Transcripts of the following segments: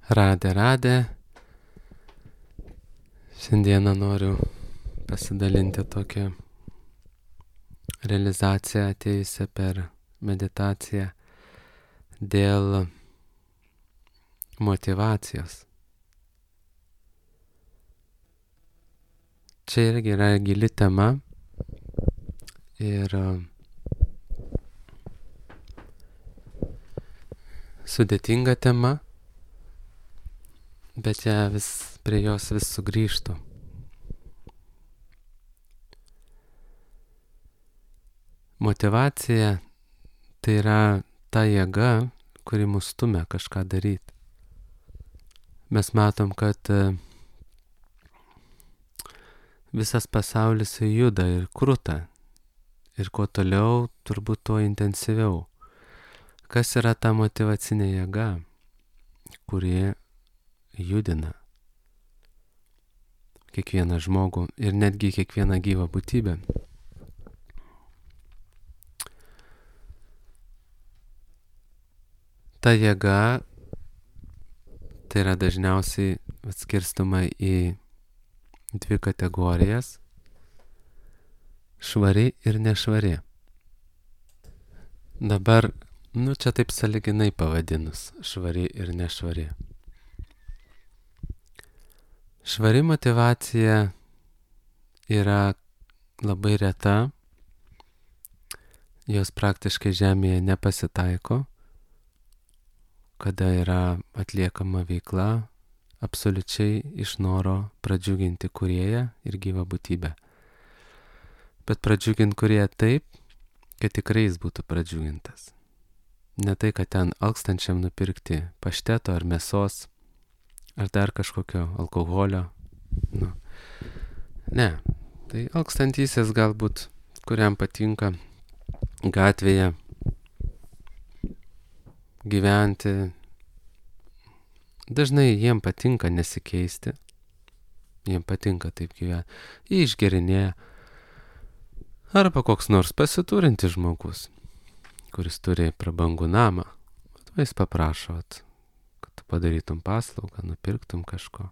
Radė. Šiandieną noriu pasidalinti tokią realizaciją atėjusią per meditaciją dėl motyvacijos. Čia irgi yra gili tema ir sudėtinga tema, bet prie jos vis sugrįžtu. Motyvacija tai yra ta jėga, kuri mus stumia kažką daryti. Mes matom, kad visas pasaulis juda ir kruta. Ir kuo toliau, turbūt tuo intensyviau. Kas yra ta motyvacinė jėga, kuri judina kiekvieną žmogų ir netgi kiekvieną gyvą būtybę? Ta jėga tai yra dažniausiai atskirstoma į dvi kategorijas - švari ir nešvari. Dabar, čia taip sąlyginai pavadinus - švari ir nešvari. Švari motyvacija yra labai reta, jos praktiškai žemėje nepasitaiko, kada yra atliekama veikla absoliučiai iš noro pradžiuginti kūrėją ir gyvą būtybę. Bet pradžiuginti kūrėją taip, kad tikrai jis būtų pradžiugintas. Ne tai, kad ten alkstančiam nupirkti pašteto ar mėsos, ar dar kažkokio alkoholio. Ne, tai alkstantysis galbūt, kuriam patinka gatvėje gyventi. Dažnai jiem patinka nesikeisti. Jiem patinka taip gyventi. Jie išgerinėja. Arba koks nors pasiturintis žmogus, kuris turi prabangų namą. Jis paprašo, kad tu padarytum paslaugą, nupirktum kažko.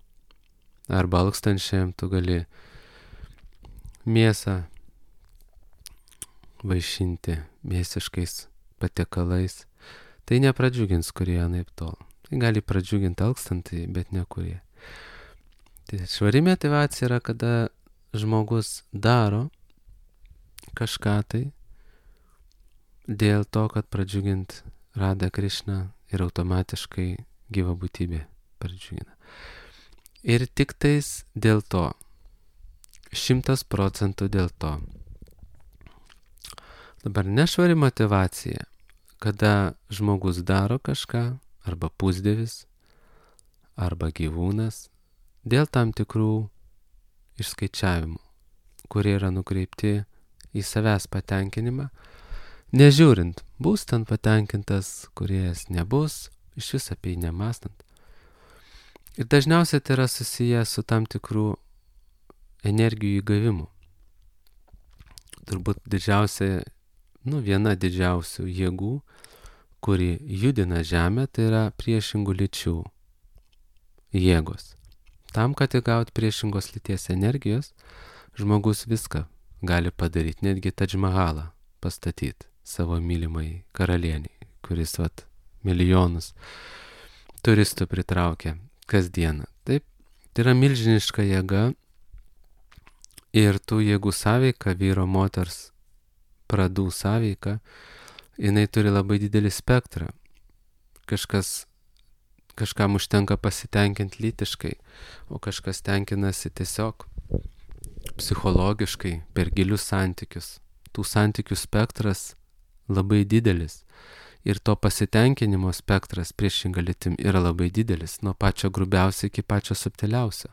Arba alkstančiam tu gali mėsą vaišinti mėsiškais patiekalais. Tai nepradžiugins kurie anaip tol. Tai gali pradžiuginti alkstantį, bet ne kurie. Tai švari motyvacija yra, kada žmogus daro kažką tai dėl to, kad pradžiugint Radha Krišną ir automatiškai gyva būtybė pradžiugina. Ir tik tais dėl to, 100% dėl to. Dabar nešvari motyvacija, kada žmogus daro kažką, arba pusdievis, arba gyvūnas, dėl tam tikrų išskaičiavimų, kurie yra nukreipti į savęs patenkinimą, nežiūrint, bus ten patenkintas kūrėjas, nebus, iš vis apie jį nemąstant. Ir dažniausiai tai yra susiję su tam tikrų energijų įgavimu. Turbūt viena didžiausių jėgų, kuri judina žemę, tai yra priešingų lyčių jėgos. Tam, kad įgauti priešingos lyties energijos, žmogus viską gali padaryti, netgi Tadž Mahalą pastatyti savo mylimai karalieniai, kuris milijonus turistų pritraukia kasdieną. Taip, tai yra milžiniška jėga ir tų jėgų sąveika, vyro moters pradų sąveika, jinai turi labai didelį spektrą. Kažkam užtenka pasitenkinti lytiškai, o kažkas tenkinasi tiesiog psichologiškai per gilius santykius. Tų santykių spektras labai didelis. Ir to pasitenkinimo spektras priešinga lytim yra labai didelis, nuo pačio grubiausio iki pačio subtiliausio.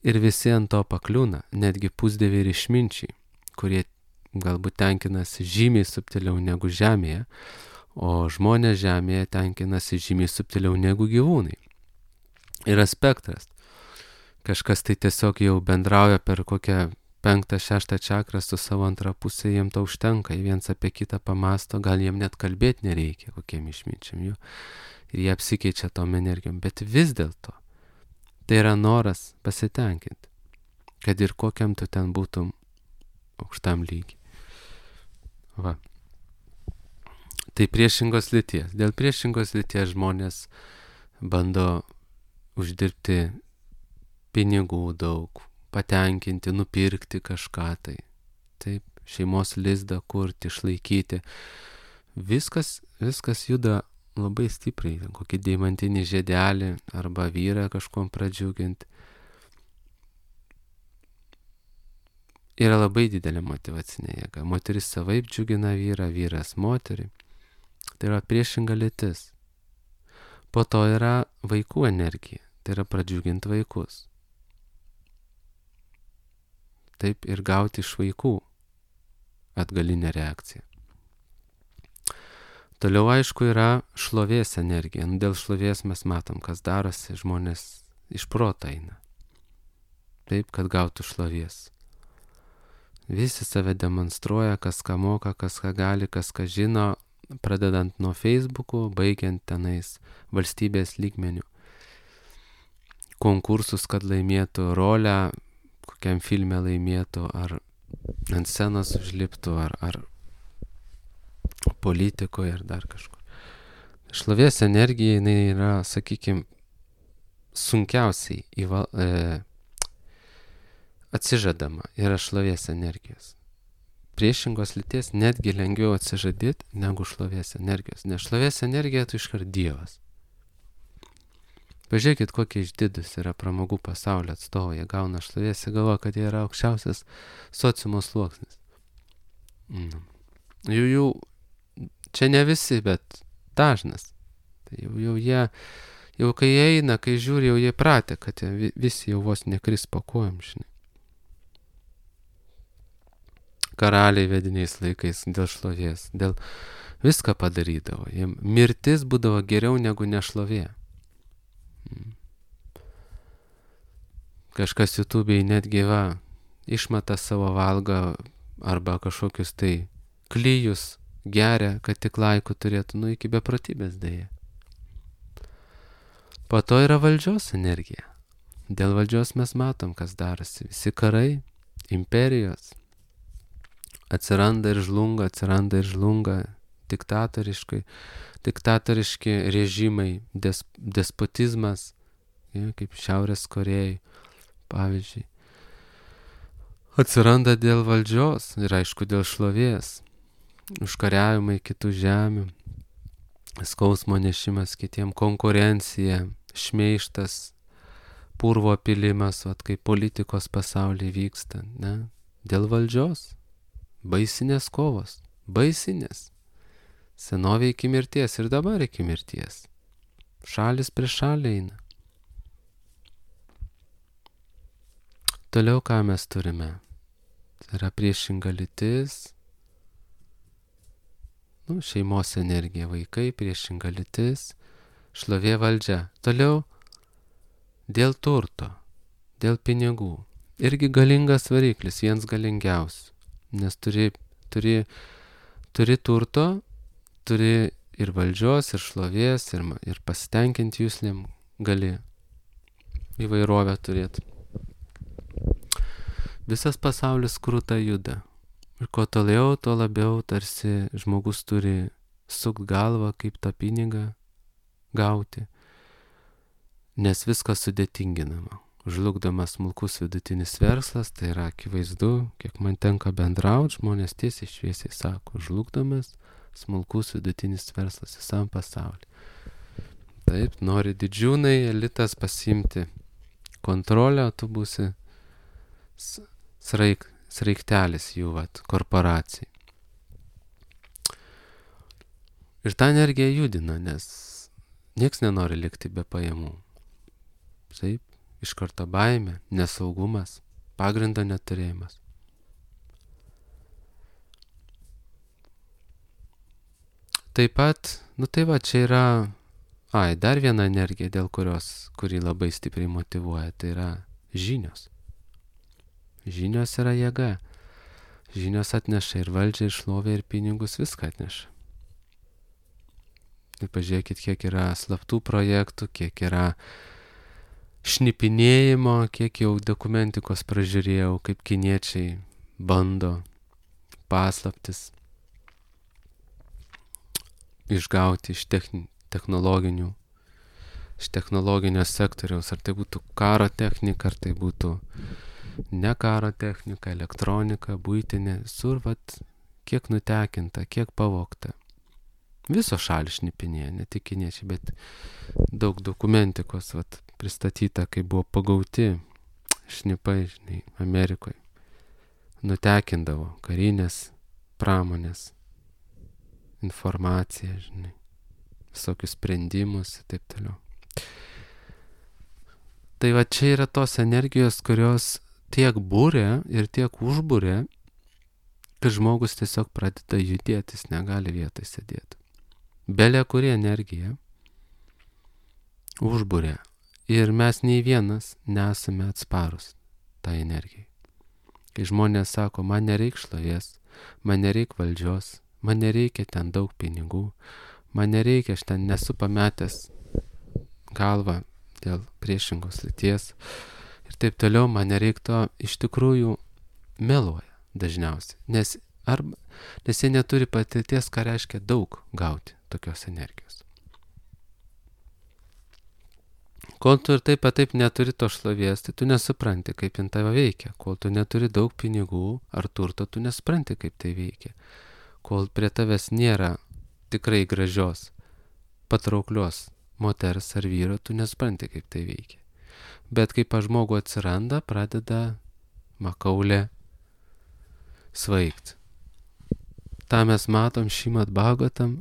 Ir visi ant to pakliūna, netgi pusdieviai ir išminčiai, kurie galbūt tenkinasi žymiai subtiliau negu žemėje, o žmonės žemėje tenkinasi žymiai subtiliau negu gyvūnai. Yra spektras. Kažkas tai tiesiog jau bendrauja per kokią 5, 6 čakrą su savo antra pusė, jiem to užtenka, jie viens apie kitą pamasto, gal jiem net kalbėti nereikia kokiem išminčiam jų. Ir jie apsikeičia tom energijom, bet vis dėlto tai yra noras pasitenkinti, kad ir kokiam tu ten būtum aukštam lygiai. Va. Tai priešingos lyties. Dėl priešingos lyties žmonės bando uždirbti pinigų daug, patenkinti, nupirkti kažką tai. Taip, šeimos lizdą kurti, išlaikyti. Viskas juda labai stipriai. Kokį deimantinį žiedelį arba vyrą kažkuom pradžiuginti. Yra labai didelė motyvacinė jėga. Moteris savaip džiugina vyrą, vyras moterį. Tai yra priešinga lytis. Po to yra vaikų energija. Tai yra pradžiuginti vaikus. Taip ir gauti iš vaikų atgalinę reakciją. Toliau aišku yra šlovės energija. Dėl šlovės mes matom, kas darosi, žmonės iš proto eina. Taip, kad gautų šlovės. Visi save demonstruoja, kas ką moka, kas ką gali, kas ką žino, pradedant nuo Facebook'ų, baigiant tenais valstybės lygmenių. Konkursus, kad laimėtų rolę, kokiam filme laimėtų, ar ant scenos užliptų, ar politikoje, ar dar kažkur. Šlovės energija, jinai yra, sakykime, sunkiausiai atsižadama, yra šlovės energijos. Priešingos lyties netgi lengviau atsižadėti negu šlovės energijos, nes šlovės energija tu iškart Dievas. Pažiūrėkit, kokie išdidus yra pramogų pasaulio atstovai, jie gauna šlovės, jie galvoja, kad jie yra aukščiausias sociumo sluoksnis. Jų čia ne visi, bet dažnas. Tai jau kai eina, kai žiūri, jau jie pratę, kad visi jau vos nekris po kojom, žinai. Karaliai vediniais laikais dėl šlovės, dėl viską padarydavo. Jiem mirtis būdavo geriau negu nešlovė. Kažkas YouTube'ai netgi išmata savo valgą arba kažkokius tai klijus geria, kad tik laikų turėtų, iki beprotybės dėja. Po to yra valdžios energija. Dėl valdžios mes matom, kas darosi. Visi karai, imperijos atsiranda ir žlunga, diktatoriški režimai, despotizmas, kaip Šiaurės Korėjai, pavyzdžiui. Atsiranda dėl valdžios ir aišku dėl šlovės, užkariavimai kitų žemių, skausmo nešimas kitiem, konkurencija, šmeižtas, purvo pilimas, kaip politikos pasaulyje vyksta, ne? Dėl valdžios. Baisinės kovos, baisinės. Senovė iki mirties ir dabar iki mirties. Šalis prieš šalį eina. Toliau ką mes turime? Tai yra priešinga lytis, šeimos energija, vaikai, priešinga lytis, šlovė valdžia. Toliau dėl turto, dėl pinigų. Irgi galingas variklis, vienas galingiausių. Nes turi turto, turi ir valdžios, ir šlovės, ir pasitenkinti jūslėm, gali įvairovę turėti. Visas pasaulis krūta juda. Ir kuo toliau, tuo labiau tarsi žmogus turi sukt galvą, kaip tą pinigą gauti. Nes viskas sudėtinginama. Žlugdamas smulkus vidutinis verslas, tai yra akivaizdu, kiek man tenka bendrauti, žmonės tiesiai šviesiai sako, žlugdamas smulkus vidutinis verslas visam pasauliu. Taip, nori didžiūnai, elitas pasiimti kontrolę, tu būsi sraigtelis jų korporacijai. Ir tą energiją judina, nes nieks nenori likti be pajamų. Taip. Iš karto baimė, nesaugumas, pagrindo neturėjimas. Taip pat, čia yra, dar viena energija, kuri labai stipriai motyvuoja, tai yra žinios. Žinios yra jėga. Žinios atneša ir valdžią, ir šlovę, ir pinigus, viską atneša. Ir pažiūrėkit, kiek yra slaptų projektų, kiek yra šnipinėjimo, kiek jau dokumentikos pražiūrėjau, kaip kiniečiai bando paslaptis išgauti iš technologinio sektoriaus, ar tai būtų karo technika, ar tai būtų ne karo technika, elektronika, buitinė, visur kiek nutekinta, kiek pavogta. Visos šalys šnipinėja, ne tik kiniečiai, bet daug dokumentikos pristatyta, kai buvo pagauti šnipai, žinai, Amerikoje. Nutekindavo karinės pramonės informaciją, žinai, visokius sprendimus ir taip toliau. Tai čia yra tos energijos, kurios tiek būrė ir tiek užbūrė, kad žmogus tiesiog pradeda judėti, jis negali vietoj sėdėti. Belė kuri energija užbūrė ir mes nei vienas nesame atsparus tai energijai. Kai žmonės sako, man nereik šlovės, man nereik valdžios, man nereikia ten daug pinigų, man nereikia, aš ten nesu pametęs galvą dėl priešingos lyties ir taip toliau, man nereik to, iš tikrųjų meluoja dažniausiai, nes jie neturi patirties, ką reiškia daug gauti tokios energijos. Kol tu ir taip neturi to šlovės, tai tu nesupranti, kaip jin tave veikia. Kol tu neturi daug pinigų ar turto, tu nesupranti, kaip tai veikia. Kol prie tavęs nėra tikrai gražios, patrauklios moters ar vyro, tu nesupranti, kaip tai veikia. Bet kai pas žmogų atsiranda, pradeda makaulė svaigt. Ta mes matom Šrimad Bhagavatam,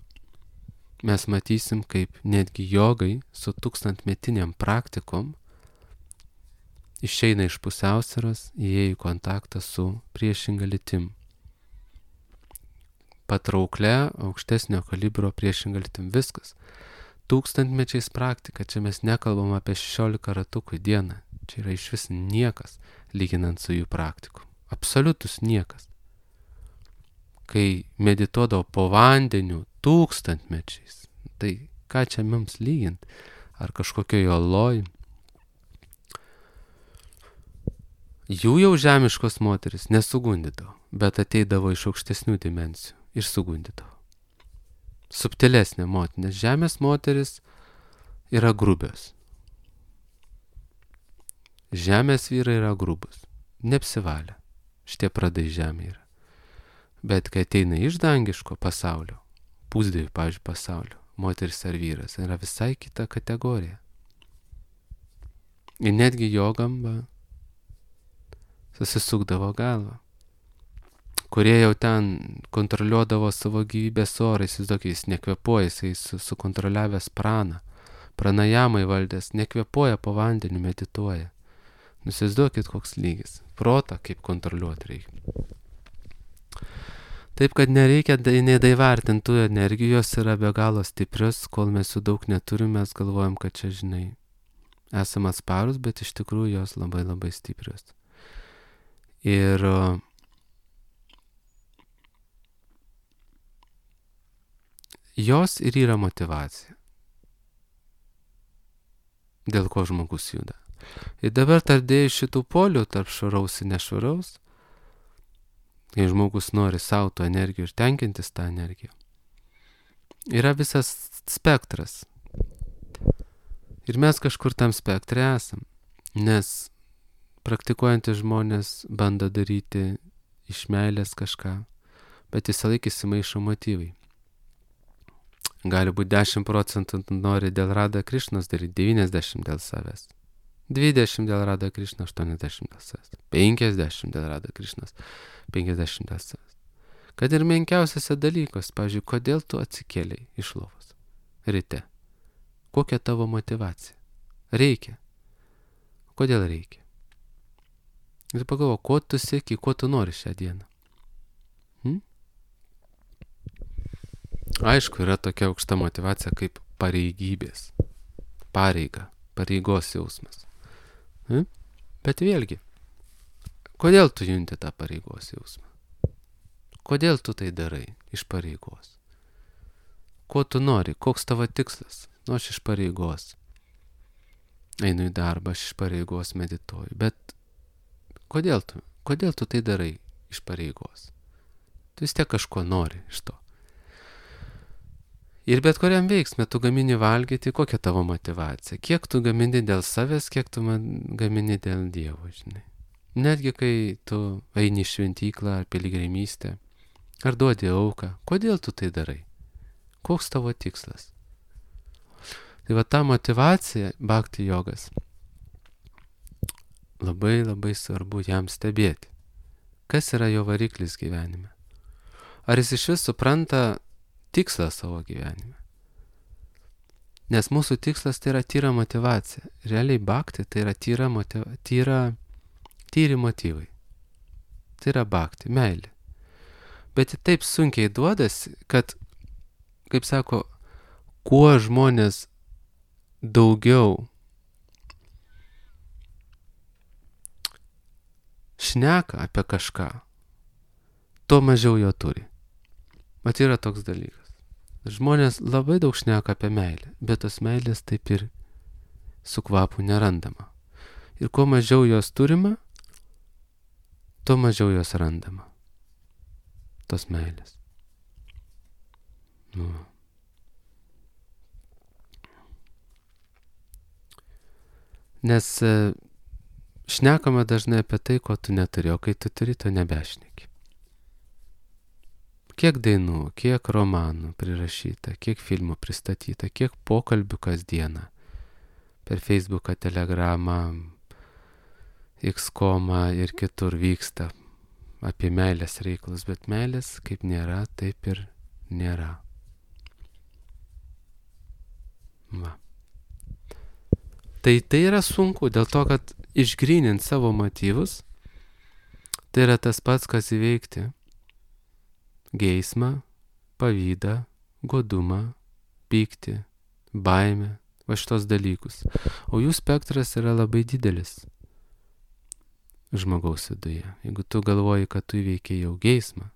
mes matysim, kaip netgi jogai su 1000-metiniam praktikom išeina iš pusiausvyros, įėjo į kontaktą su priešinga lytim. Patrauklia, aukštesnio kalibro priešinga lytim. Viskas. 1000-mečiais praktika, čia mes nekalbam apie 16 ratukų į dieną. Čia yra iš vis niekas, lyginant su jų praktiku. Absoliutus niekas. Kai medituodavo po vandeniu 1000-mečiais, tai ką čia mums lygint? Ar kažkokio oloj? Jų jau žemiškos moteris nesugundydavo, bet ateidavo iš aukštesnių dimensijų ir sugundydavo. Subtilesnė moteris, nes žemės moteris yra grubios. Žemės vyrai yra grubus, neapsivalę. Šitie pradai žemė yra. Bet kai ateina iš dangiško pasaulio, pusdievių, pavyzdžiui, pasaulio, moteris ar vyras, yra visai kita kategorija. Ir netgi jogam susisukdavo galvą. Kurie jau ten kontroliuodavo savo gyvybės orą, jis nekvepuoja, jis sukontroliavęs praną, pranajamai valdęs, nekvepuoja po vandeniu, medituoja. Įsivaizduokit, koks lygis. Protą kaip kontroliuoti reikia. Taip, kad nereikia nedaivartinti tų energijos, yra be galo stiprios, kol mes jų daug neturim, mes galvojam, kad čia, žinai, esame atsparus, bet iš tikrųjų jos labai labai stiprios. Ir jos ir yra motyvacija, dėl ko žmogus juda. Ir dabar tardėjus šitų polių tarp švaraus ir nešvaraus, kai žmogus nori savo to energijų ir tenkintis tą energiją, yra visas spektras. Ir mes kažkur tam spektre esam, nes praktikuojantys žmonės bando daryti iš meilės kažką, bet visą laiką įsimaišo motyvai. Gali būti 10% nori dėl Radha Krišnos daryti, 90% dėl savęs. 20 dėl Radha Krišna, 80 dėl savęs. 50 dėl Radha Krišnos, 50 dėl savęs. Kad ir menkiausiose dalykos, pavyzdžiui, kodėl tu atsikėlei iš lovos ryte? Kokia tavo motyvacija? Reikia. Kodėl reikia? Ir pagalvo, ko tu sieki, ko tu nori šią dieną? Aišku, yra tokia aukšta motyvacija kaip pareigybės. Pareiga, pareigos jausmas. Bet vėlgi, Kodėl tu junti tą pareigos jausmą? Kodėl tu tai darai iš pareigos? Ko tu nori? Koks tavo tikslas? Nu, aš iš pareigos. Einu į darbą, aš iš pareigos medituoju. Bet kodėl tu tai darai iš pareigos? Tu vis tiek kažko nori iš to. Ir bet kuriam veiksme tu gamini valgyti, kokia tavo motivacija. Kiek tu gamini dėl savęs, kiek tu gamini dėl Dievo, žinai. Netgi kai tu eini į šventyklą ar piligrimystę, ar duodi auką, kodėl tu tai darai? Koks tavo tikslas? Tai va ta motivacija, bhakti jogas, labai labai svarbu jam stebėti. Kas yra jo variklis gyvenime? Ar jis iš vis supranta tikslą savo gyvenime? Nes mūsų tikslas tai yra tyra motivacija. Realiai bhakti tai yra tyri motyvai. Tai yra bhakti, meilė. Bet taip sunkiai duodasi, kad, kaip sako, kuo žmonės daugiau šneka apie kažką, tuo mažiau jo turi. Mat yra toks dalykas. Žmonės labai daug šneka apie meilę, bet tos meilės taip ir su kvapu nerandama. Ir kuo mažiau jos turima, tuo mažiau jos randama. Tos meilės. Nu. Nes šnekama dažnai apie tai, ko tu neturi, o kai tu turi, to nebešneki. Kiek dainų, kiek romanų prirašyta, kiek filmų pristatyta, kiek pokalbių kasdieną per Facebooką, Telegramą, X.comą ir kitur vyksta apie meilės reikalus, bet meilės kaip nėra, taip ir nėra. Va. Tai yra sunku, dėl to, kad išgrynint savo motyvus, tai yra tas pats, kas įveikti geismą, pavydą, godumą, pyktį, baimę, va šitos dalykus. O jų spektras yra labai didelis žmogaus viduje. Jeigu tu galvoji, kad tu įveikiai jau geismą,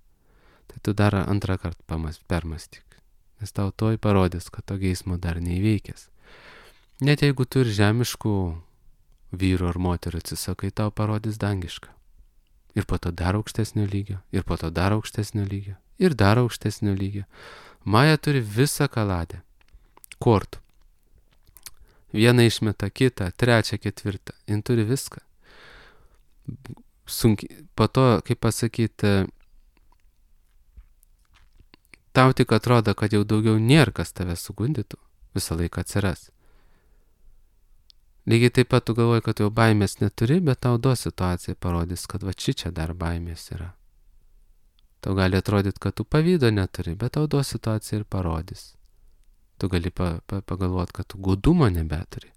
tai tu dar antrą kartą permastyk. Nes tau toj parodys, kad to geismo dar neįveikęs. Net jeigu tu ir žemiškų vyrų ar moterų atsisakai, tau parodys dangišką. Ir po to dar aukštesnio lygio, ir po to dar aukštesnio lygio, ir dar aukštesnio lygio. Maja turi visą kaladę kortų. Vieną išmeta, kitą, trečią, ketvirtą. Jin turi viską. Sunkiai. Po to, kaip pasakyti, tau tik atrodo, kad jau daugiau nėra, kas tave sugundytų. Visą laiką atsiras. Lygiai taip pat tu galvoji, kad jau baimės neturi, bet tau situacija parodys, kad va čia dar baimės yra. Tau gali atrodyti, kad tu pavydo neturi, bet tau situacija ir parodys. Tu gali pagalvoti, kad tu godumo nebeturi,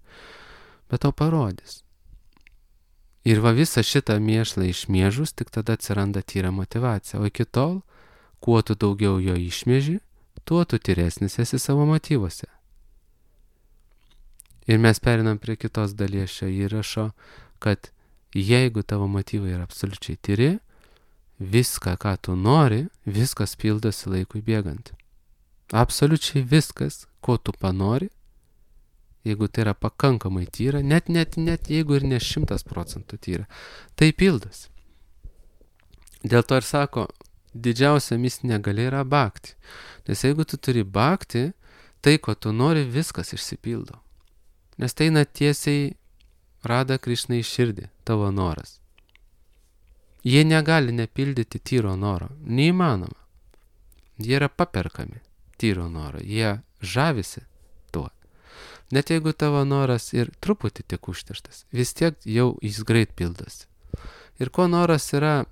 bet tau parodys. Ir va visą šitą mėšlą išmėžus, tik tada atsiranda tyra motivacija. O iki tol, kuo tu daugiau jo išmėži, tuo tu tyresnis esi savo motyvuose. Ir mes perinam prie kitos dalies šio įrašo, kad jeigu tavo motyvai yra absoliučiai tyri, viską, ką tu nori, viskas pildosi laikui bėgant. Absoliučiai viskas, ko tu panori, jeigu tai yra pakankamai tyra, net jeigu ir ne 100% tyra, tai pildosi. Dėl to ir sako, didžiausia mistinė galia yra bhakti. Nes jeigu tu turi bhakti, tai, ko tu nori, viskas išsipildo. Nes tai eina tiesiai Radha Krišna į širdį, tavo noras. Jie negali nepildyti tyro noro. Neįmanoma. Jie yra paperkami tyro noro. Jie žavisi tuo. Net jeigu tavo noras ir truputį tik užterštas, vis tiek jau jis greit pildosi. Ir ko noras yra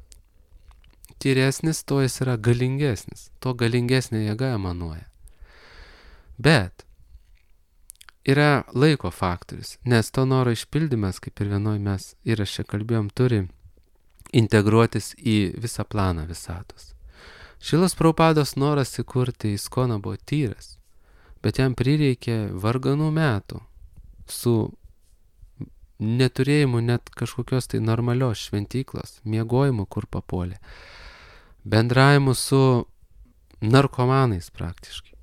tyresnis, to jis yra galingesnis. To galingesnė jėga emanuoja. Bet yra laiko faktorius, nes to noro išpildymas, kaip ir vienoj mes įraše kalbėjom, turi integruotis į visą planą visatos. Šilas Prabhupados noras įkurti ISKCONą buvo tyras, bet jam prireikė varganų metų su neturėjimu net kažkokios tai normalios šventyklos, miegojimu, kur papuolė, bendravimu su narkomanais praktiškai,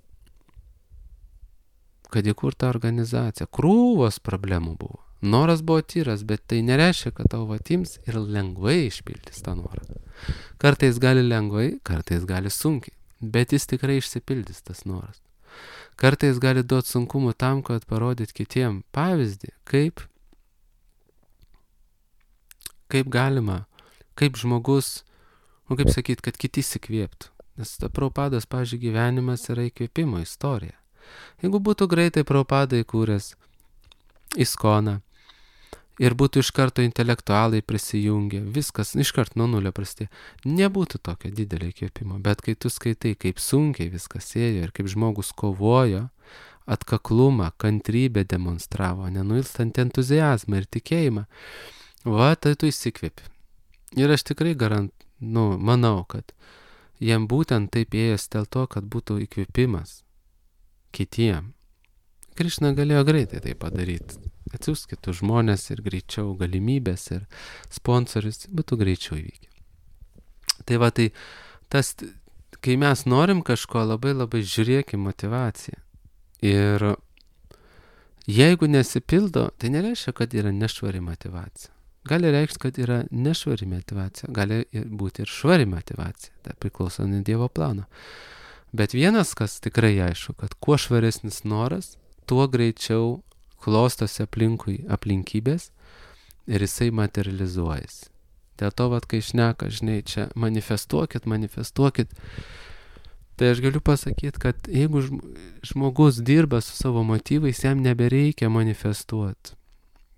kad įkurta organizacija, krūvos problemų buvo. Noras buvo tyras, bet tai nereiškia, kad tau atims ir lengvai išpildys tą norą. Kartais gali lengvai, kartais gali sunkiai, bet jis tikrai išsipildys tas noras. Kartais gali duoti sunkumų tam, kad parodyt kitiem pavyzdį, kaip galima, kaip žmogus, kaip sakyt, kad kiti įsikvėptų. Nes Prabhupados, pavyzdžiui, gyvenimas yra įkvėpimo istorija. Jeigu būtų greitai Prabhupada įkūręs ISKCONą ir būtų iš karto intelektualai prisijungę, viskas iš karto nuo nulio prasidėjo, nebūtų tokio didelio įkvėpimo. Bet kai tu skaitai, kaip sunkiai viskas ėjo ir kaip žmogus kovojo, atkaklumą, kantrybę demonstravo, nenuilstant entuziazmą ir tikėjimą, tai tu įsikvėpi. Ir aš tikrai manau, kad jam būtent taip ėjęs dėl to, kad būtų įkvėpimas kitiem. Krišna galėjo greitai tai padaryti. Atsiųs kitus žmonės ir greičiau galimybės ir sponsorius būtų greičiau įvykę. Tai tas, kai mes norim kažko, labai žiūrėkim motivaciją. Ir jeigu nesipildo, tai nereiškia, kad yra nešvari motivacija. Gali reikšti, kad yra nešvari motivacija, gali būti ir švari motivacija. Tai priklauso nuo Dievo plano. Bet vienas, kas tikrai aišku, kad kuo švaresnis noras, tuo greičiau klostosi aplinkui aplinkybės ir jisai materializuojasi. Dėl to, kai šneka, žinai, čia manifestuokit, tai aš galiu pasakyti, kad jeigu žmogus dirba su savo motyvais, jam nebereikia manifestuoti,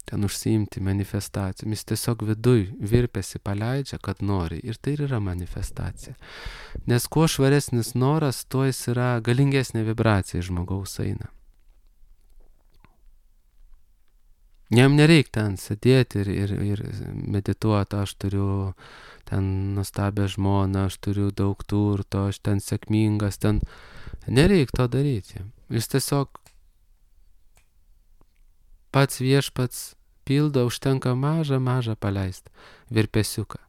ten užsiimti manifestacijom, jis tiesiog viduj virpesi paleidžia, kad nori, ir tai yra manifestacija. Nes kuo švaresnis noras, tuo jis yra galingesnė vibracija žmogaus eina. Jam nereik ten sėdėti ir medituoti, aš turiu ten nuostabią žmoną, aš turiu daug turto, aš ten sėkmingas, ten nereik to daryti. Jis tiesiog pats viešpats pildo, užtenka mažą paleist virpesiuką.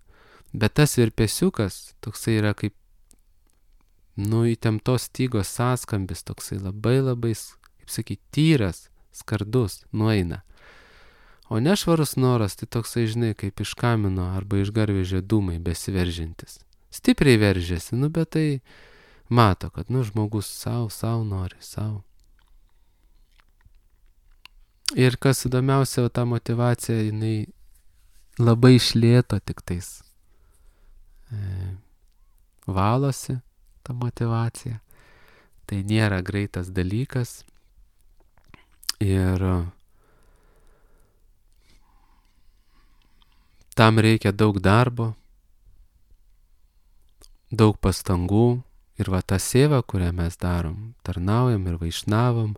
Bet tas virpesiukas toksai yra kaip įtemptos stygos sąskambis, toksai labai, kaip sakyti, tyras, skardus, nueina. O nešvarus noras, tai toksai, žinai, kaip iš kamino arba iš garvežio dūmai besiveržintis. Stipriai veržiasi, bet tai mato, kad, žmogus savo nori, savo. Ir kas įdomiausia, ta motivacija, jinai labai iš lėto tiktais valosi, ta motivacija. Tai nėra greitas dalykas. Ir tam reikia daug darbo, daug pastangų. Ir ta seva, kurią mes darom, tarnaujam ir vaišnavam,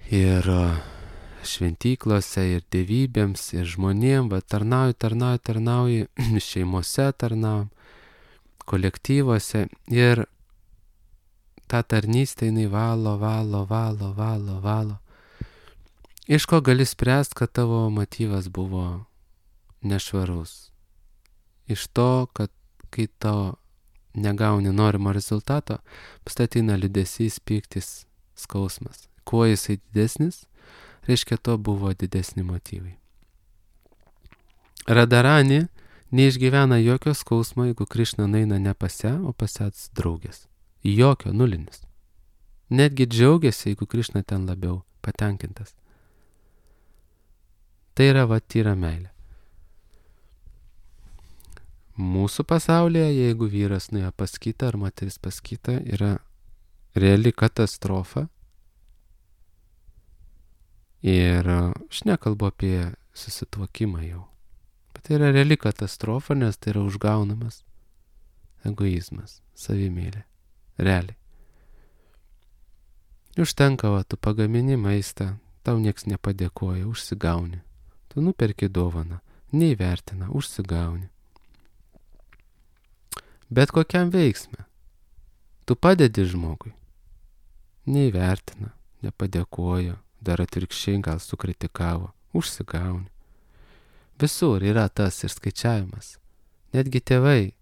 ir šventyklose, ir dievybėms, ir žmonėm, tarnauji, šeimose tarnaujam, kolektyvuose, ir ta tarnystė jinai valo. Iš ko gali spręsti, kad tavo motyvas buvo nešvarus? Iš to, kad kai tau negauni norimo rezultato, pastatina liūdesys, pyktis, skausmas. Kuo jisai didesnis, reiškia, to buvo didesni motyvai. Radharani neišgyvena jokio skausmo, jeigu Krišna nueina ne pas ją, o pas ją draugės. Jokio, nulinis. Netgi džiaugiasi, jeigu Krišna ten labiau patenkintas. Tai yra tyra meilė. Mūsų pasaulyje, jeigu vyras nuėjo pas kitą ar moteris pas kitą, yra reali katastrofa. Ir aš nekalbu apie susituokimą jau. Bet tai yra reali katastrofa, nes tai yra užgaunamas egoizmas, savimėlė. Realiai. Užtenka, tu pagamini maistą, tau nieks nepadėkoja, užsigauni. Tu nuperki dovaną, neįvertina, užsigauni. Bet kokiam veiksme. Tu padedi žmogui. Neįvertina, nepadėkoja, dar atvirkščiai gal sukritikavo. užsigauni. Visur yra tas ir skaičiavimas. Netgi tėvai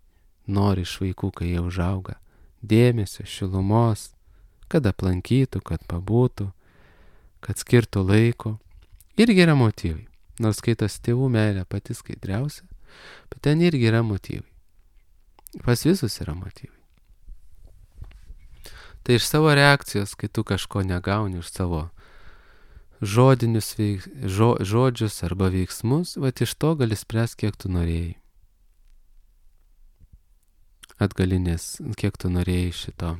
nori iš vaikų, kai jie užauga, dėmesio, šilumos, kad aplankytų, kad pabūtų, kad skirtų laiko. Irgi yra motyvai. Nors skaitos tėvų meilė pati skaidriausia, bet ten irgi yra motyvai. Pas visus yra motyvai. Tai iš savo reakcijos, kai tu kažko negauni, iš savo žodžius arba veiksmus, iš to gali spręsti, kiek tu norėjai. Atgalinės, kiek tu norėjai šito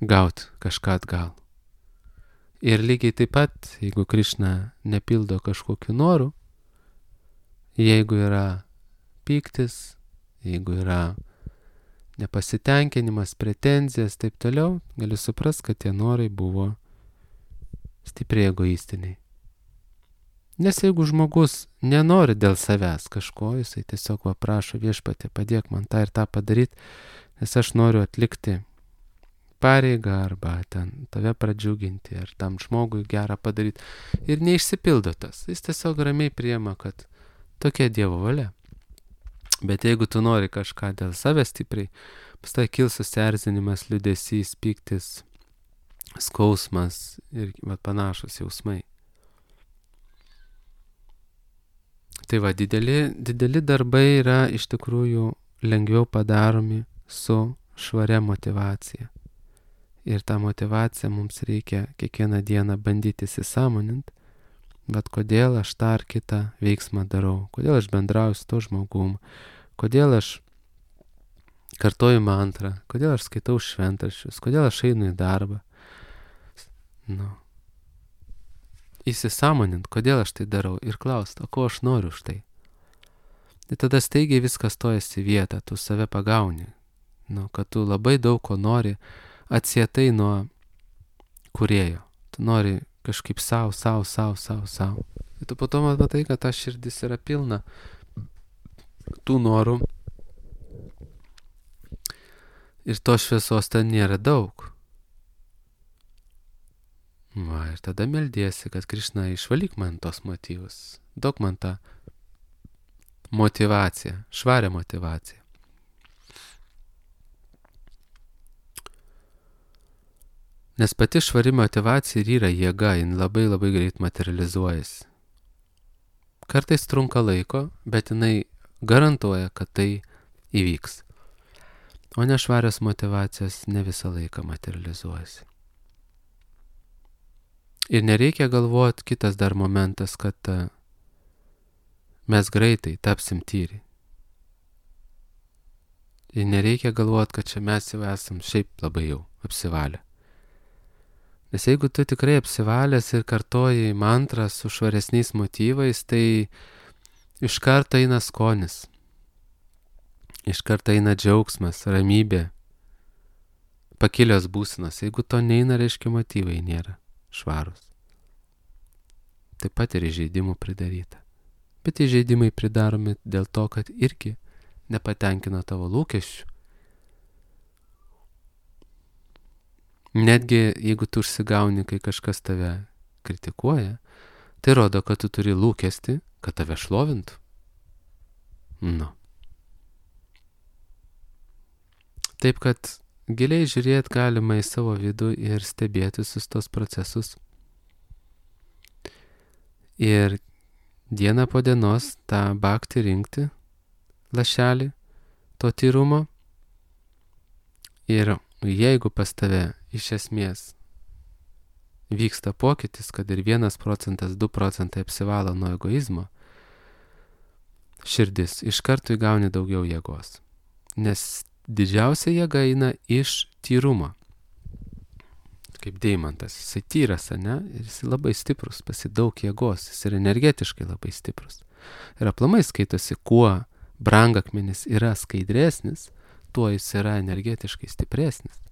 gauti kažką atgal. Ir lygiai taip pat, jeigu Krišna nepildo kažkokiu noru, jeigu yra pyktis, jeigu yra nepasitenkinimas, pretenzijas, taip toliau, gali suprast, kad tie norai buvo stipriai egoistiniai. Nes jeigu žmogus nenori dėl savęs kažko, jisai tiesiog prašo Viešpatie, padėk man tą ir tą padaryti, nes aš noriu atlikti pareigą arba ten tave pradžiuginti ar tam žmogui gerą padaryti. Ir neišsipildo tas. Jis tiesiog ramiai priima, kad tokia Dievo valia. Bet jeigu tu nori kažką dėl savęs stipriai, pastai kils susierzinimas, liūdesys, pyktis, skausmas ir panašus jausmai. Tai dideli darbai yra iš tikrųjų lengviau padaromi su švaria motyvacija. Ir tą motyvaciją mums reikia kiekvieną dieną bandyti įsisąmoninti, bet kodėl aš tą ar kitą veiksmą darau, kodėl aš bendrauju su to žmogum, kodėl aš kartoju mantrą, kodėl aš skaitau šventraščius, kodėl aš einu į darbą. Įsisąmonint, kodėl aš tai darau ir klausti, o ko aš noriu už tai. Tai tada staigiai viskas stojasi į vietą, tu save pagauni, kad tu labai daug ko nori atsietai nuo kūrėjo. Tu nori kažkaip savo. Ir tu po to matai, kad ta širdis yra pilna tų norų ir to šviesos ten nėra daug. Ir tada meldiesi, kad Krišna išvalyk man tos motyvus, duok man tą motyvaciją, švarią motyvaciją. Nes pati švari motyvacija ir yra jėga, jin labai greit materializuojasi. Kartais trunka laiko, bet jinai garantuoja, kad tai įvyks. O nešvarios motyvacijos ne visą laiką materializuojasi. Ir nereikia galvoti, kitas dar momentas, kad mes greitai tapsim tyri. Ir nereikia galvoti, kad čia mes jau esam šiaip labai jau apsivalę. Nes jeigu tu tikrai apsivalęs ir kartoji mantrą su švaresniais motyvais, tai iš karto eina skonis. Iš karto eina džiaugsmas, ramybė, pakilios būsenos. Jeigu to neina, reiškia motyvai nėra švarus. Taip pat ir įžeidimų pridaryta. Bet įžeidimai pridaromi dėl to, kad irgi nepatenkina tavo lūkesčių. Netgi jeigu tu užsigauni, kai kažkas tave kritikuoja, tai rodo, kad tu turi lūkestį, kad tave šlovintų. Taip, kad giliai žiūrėti galima į savo vidų ir stebėti visus tos procesus. Ir dieną po dienos tą bhakti rinkti, lašelį to tyrumo. Ir jeigu pas tave iš esmės vyksta pokytis, kad ir 1%, 2% apsivalo nuo egoizmo, širdis iš karto įgauni daugiau jėgos. Nes didžiausia jėga eina iš tyrumo. Kaip deimantas, jisai tyras, ne? Ir jisai labai stiprus, pasi daug jėgos, jis yra energetiškai labai stiprus. Ir aplamai skaitosi, kuo brangakmenis yra skaidresnis, tuo jis yra energetiškai stipresnis.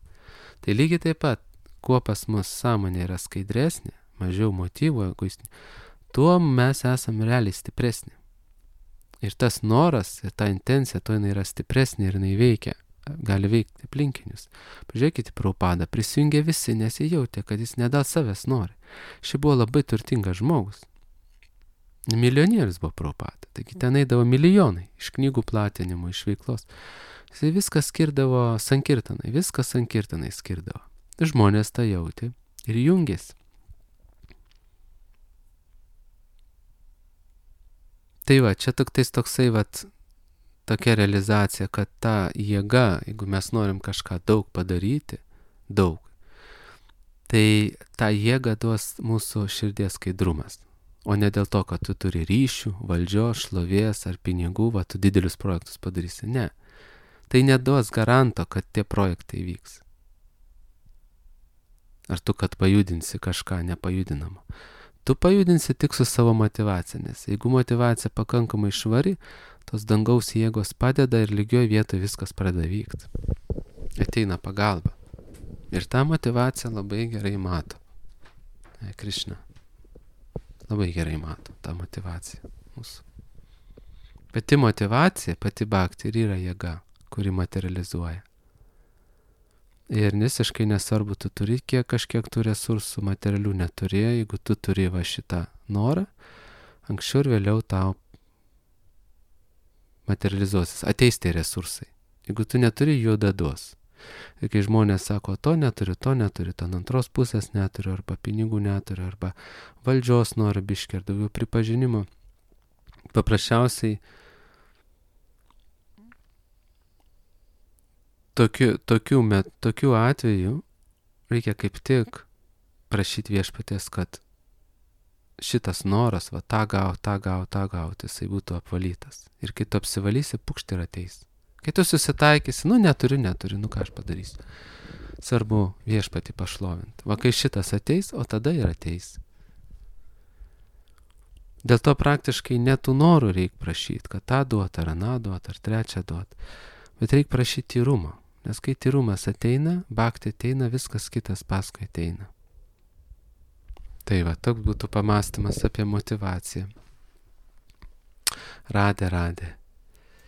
Tai lygiai taip pat, kuo pas mus sąmonė yra skaidresnė, mažiau motyvų, tuo mes esame realiai stipresni. Ir tas noras, ir ta intencija, to jinai yra stipresnė ir jinai veikia gali veikti aplinkinius. Pažiūrėkite Prabhupada, prisijungė visi, nes jie jautė, kad jis ne dėl savęs nori. Ši buvo labai turtingas žmogus. Milijonierius buvo Prabhupada, taigi ten eidavo milijonai iš knygų platinimo, iš veiklos. Jis viską skirdavo sankirtanai, viską sankirtanai skirdavo. Žmonės tą jautė ir jungėsi. Tai va, čia toksai tokia realizacija, kad ta jėga, jeigu mes norim kažką daug padaryti, tai tą jėgą duos mūsų širdies skaidrumas. O ne dėl to, kad tu turi ryšių, valdžios, šlovės ar pinigų, tu didelius projektus padarysi. Ne. Tai neduos garanto, kad tie projektai vyks. Ar tu, kad pajudinsi kažką nepajudinamą. Tu pajudinsi tik su savo motyvacija, nes jeigu motyvacija pakankamai švari, tos dangaus jėgos padeda ir lygioj vietoje viskas pradeda vykti. Ateina pagalba. Ir tą motyvaciją labai gerai mato. Krišna. Labai gerai mato tą motyvaciją mūsų. Pati motyvacija, pati bhakti ir yra jėga, kuri materializuoja. Ir visiškai nesvarbu, tu turi kažkiek tų resursų, materialių neturi, jeigu tu turi šitą norą, anksčiau ir vėliau tau materializuosis, ateis tie resursai. Jeigu tu neturi, jų duos. Ir kai žmonės sako, to neturiu, ten antros pusės neturiu, arba pinigų neturiu, arba valdžios noriu biškį, ar daugiau pripažinimo, paprasčiausiai tokių atvejų reikia kaip tik prašyti viešpaties, kad šitas noras, tą gauti, jisai būtų apvalytas. Ir kai tu apsivalysi, pukšt ir ateis. Kai tu susitaikysi, neturiu, ką aš padarysiu. Svarbu viešpatį pašlovinti. Kai šitas ateis, o tada ir ateis. Dėl to praktiškai netų norų reikia prašyti, kad tą duot, ar aną duot, ar trečią duot. Bet reikia prašyti tyrumo. Nes kai tyrumas ateina, bhakti ateina, viskas kitas paskui ateina. Tai toks būtų pamąstymas apie motyvaciją. Radė.